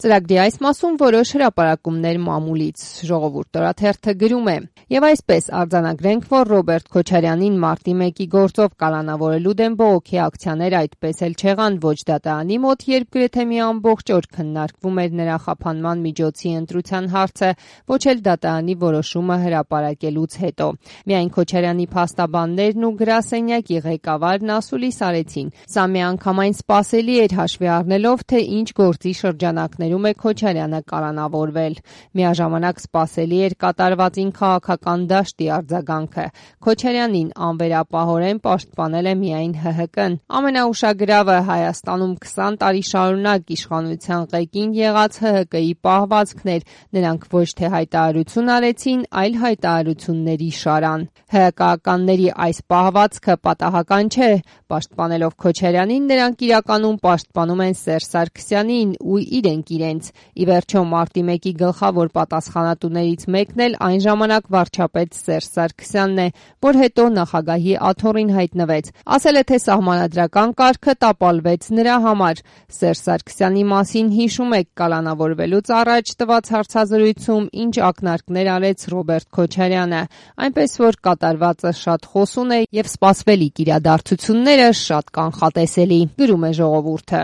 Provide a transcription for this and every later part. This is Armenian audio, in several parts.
Ծրագրի այս մասում որոշ հրապարակումներ մամուլից, Ժողովուրդ օրաթերթը գրում է. Եվ այսպես արձանագրենք, որ Ռոբերտ Քոչարյանին մարտի 1-ի գործով կալանավորելու դեմ բողոքի ակցիաներ այդպես էլ չեղան ոչ դատարանի մոտ, երբ գրեթե մի ամբողջ օր քննարկվում էր նրա խափանման միջոցի ընտրության հարցը, ոչ էլ դատարանի որոշումը հրապարակելուց հետո։ Միայն Քոչարյանի փաստաբաններն ու գրասենյակի ղեկավարն ասուլիս արեցին։ Սա միանգամայն սպասելի էր հաշվի առնելով, թե ինչ գործի շրջանակներում է Քոչարյանը կալանավորվել։ Միաժամանակ սպասելի էր կատարվածին քաղաքական դաշտի արձագանքը։ Քոչարյանին անվերապահորեն պաշտպանել է միայն ՀՀԿ-ն։ Ամենաուշագրավը Հայաստանում 20 տարի շարունակ իշխանության ղեկին եղած ՀՀԿ-ի պահվածքն էր։ Նրանք ոչ թե հայտարարություն արեցին, այլ հայտարարությունների շարան։ ՀՀԿ-ականների այս պահվածքը պատահական չէ։ Պաշտպանելով Քոչարյանին, նրանք իրականում պաշտպանում են Սերժ Սարգսյանին ու իրենք իրենց։ Ի վերջո մարտի 1-ի գլխավոր պատասխանատուներից մեկն էլ այն ժամանակ վարչապետ Սերժ Սարգսյանն է, որ հետո նախագահի աթոռին հայտնվեց։ Ասել է, թե սահմանադրական կարգը տապալվեց նրա համար։ Սերժ Սարգսյանի մասին հիշում եք կալանավորվելուց առաջ տված հարցազրույցում ինչ ակնարկներ արեց Ռոբերտ Քոչարյանը, այնպես որ կատարվածը շատ խոսուն է եւ սպասվելիք իրադարձությունները շատ կանխատեսելի, գրում է Ժողովուրդը։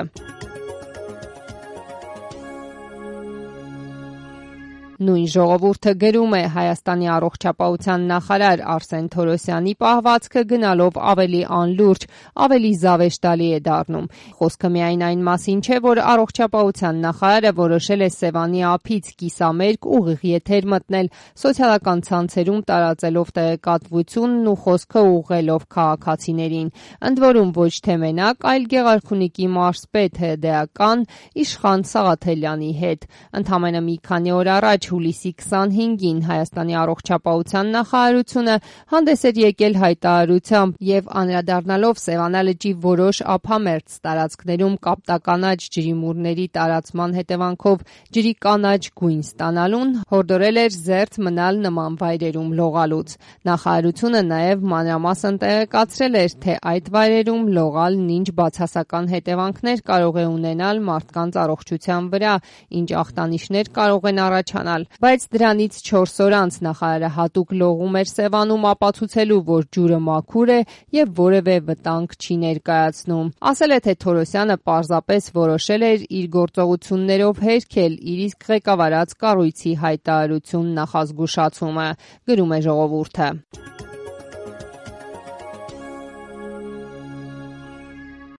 Նույն Ժողովուրդը գրում է. Հայաստանի առողջապահության նախարար Արսեն Թորոսյանի պահվածքը գնալով ավելի անլուրջ, ավելի զավեշտալի է դառնում։ Խոսքը միայն այն մասին չէ, որ առողջապահության նախարարը որոշել է Սևանի ափից կիսամերկ ուղիղ եթեր մտնել, սոցիալական ցանցերում տարածելով տեղեկատվությունն ու խոսքը ուղղելով քաղաքացիներին։ Ընդ որում ոչ թե մենակ, այլ Գեղարքունիքի մարզպետ ՀԴ-ական Իշխան Սաղաթելյանի հետ։ Ընդամենը մի քանի օր առաջ հուլիսի 25-ին Հայաստանի առողջապահության նախարարությունը հանդես էր եկել հայտարարությամբ եւ անդրադառնալով Սևանա լճի որոշ ափամերձ տարածքներում կապտականաչ ջրիմուռների տարածման հետևանքով ջրի կանաչ գույն ստանալուն, հորդորել էր զերծ մնալ նման վայրերում լողալուց։ Նախարարությունը նաեւ մանրամասն տեղեկացրել էր, թե այդ վայրերում լողալն ինչ բացասական հետևանքներ կարող է ունենալ մարդկանց առողջության վրա, ինչ ախտանիշներ կարող են առաջանալ։ Բայց դրանից 4 օր անց նախարարը հատուկ լողում էր Սևանում ապացուցելու, որ ջուրը մաքուր է եւ որևէ վտանգ չի ներկայացնում։ Ասել է, թե Թորոսյանը պարզապես որոշել էր իր գործողություններով հերքել իր իսկ ղեկավարած կառույցի հայտարարություն նախազգուշացումը, գրում է Ժողովուրդը։